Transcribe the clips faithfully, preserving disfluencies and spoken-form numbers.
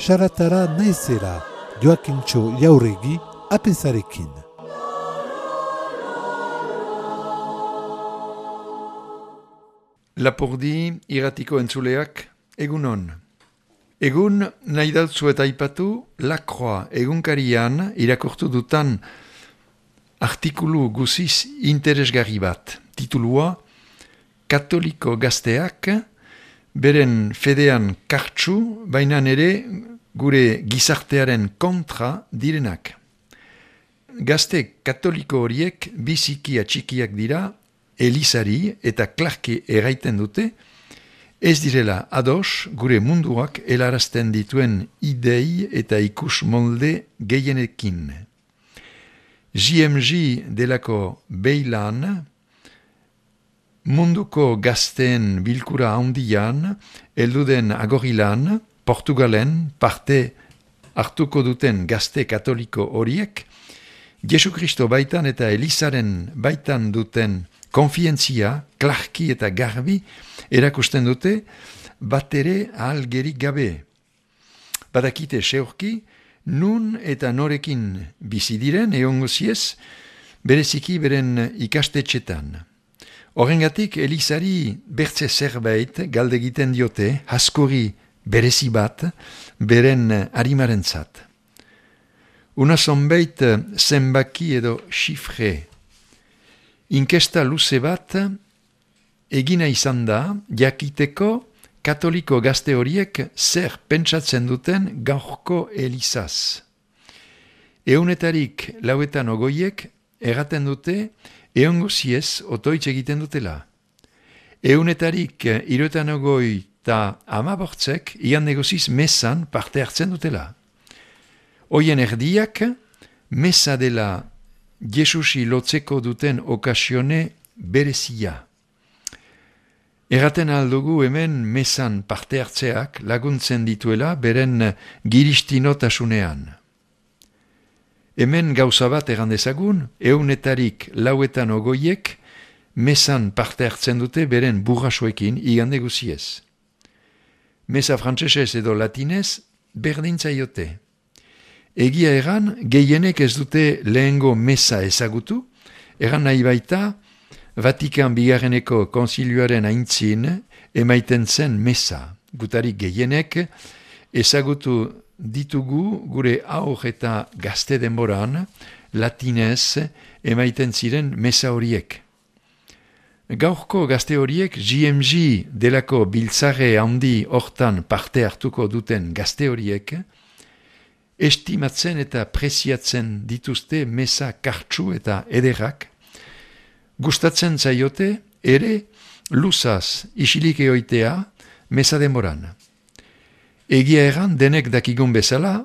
Saratara naizera, Joakintxo Jauregi, apezarekin. Lapurdi irratiko entzuleak, egunon. Egun nahi dautzu eta aipatu, Lakroa egunkarian irakurtu dutan artikulu guziz interesgarri bat. Titulua, Katoliko gazteak, beren fedean kartsu, baina ere gure gizartearen kontra direnak. Gazte katoliko horiek biziki atxikiak dira, Elizari eta Clarke erraiten dute, ez direla ados gure munduak helarazten dituen idei eta ikus molde gehienekin. J M G delako beilan, munduko gazteen bilkura handian, elduden agorilan, Portugalen parte hartuko duten gazte katoliko horiek, Jesu Kristo baitan eta Elizaren baitan duten konfientzia, Clarke eta garbi erakusten dute, bat ere ahalgerik gabe. Badakite seurki, nun eta norekin bizi diren eongoziez, bereziki beren ikastetxetan. Horrengatik Elizari bertze zerbait galde egiten diote, haskori berezi bat, beren harimarentzat. Una zonbait zenbaki edo xifre. Inkesta luze bat egina izan da, jakiteko katoliko gazte horiek zer pentsatzen duten gaurko Elizaz. Eunetarik lauetan ogoiek erraten dute eongoziez otoitz egiten dutela. Eunetarik iruetan ogoi eta amabortzek ian negoziz mesan parte hartzen dutela. Hoien erdiak mesa dela Jesusi lotzeko duten okasione berezia. Erraten aldugu hemen mesan parte hartzeak laguntzen dituela beren giristinotasunean. Hemen gauza bat errandezagun, eunetarik lauetan ogoiek mesan parte hartzen dute beren burrasoekin igande guziez. Mesa frantsesez edo latinez berdintzaiote. Egia egan, gehienek ez dute lehengo mesa ezagutu, egan nahi baita, Vatikan bigarreneko konzilioaren aintzin emaiten zen mesa. Gutarik gehienek ezagutu ditugu gure aur eta gazte denboran, latinez emaiten ziren mesa horiek. Gaurko gazte horiek J M G delako biltzare handi hortan parte hartuko duten gazte horiek, estimatzen eta preziatzen dituzte mesa kartsu eta ederrak, gustatzen zaiote ere luzaz isilik eoitea mesa denboran. Egia erran denek dakigun bezala,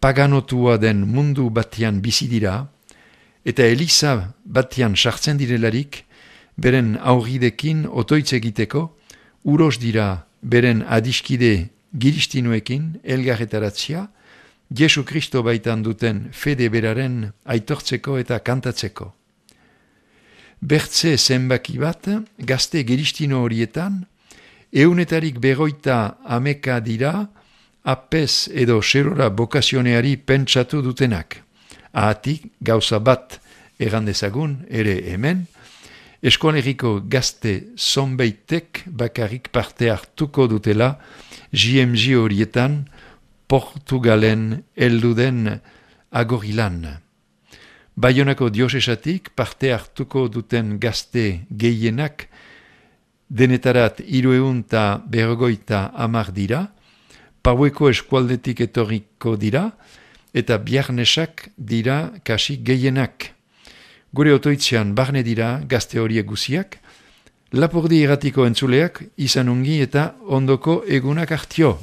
paganotua den mundu batian bizi dira, eta Eliza batian sartzen direlarik, beren aurridekin otoitz egiteko, uros dira beren adiskide giristinuekin elgarretaratzia, Jesu Kristo baitan duten fede beraren aitortzeko eta kantatzeko. Bertze zenbaki bat, gazte giristino horietan, eunetarik beroita ameka dira, apez edo serora bokazioneari pentsatu dutenak. Ahatik, gauza bat errandezagun, ere hemen, eskoleriko gazte zonbeitek bakarrik parte hartuko dutela J M G horietan, Portugalen elduden agorilan. Baionako diosesatik parte hartuko duten gazte gehienak denetarat hiruehun eta berrogeita hamar dira, Paueko eskualdetik etorriko dira, eta biarnesak dira kasi gehienak. Gure otoitzean barne dira gazte horiek guziak, Lapurdi irratiko entzuleak izan ungi eta ondoko egunak hartio.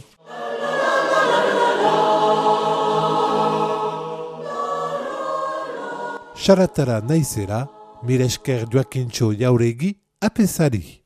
Saratara naizera, mire esker Joakintxo Jauregi, apezari.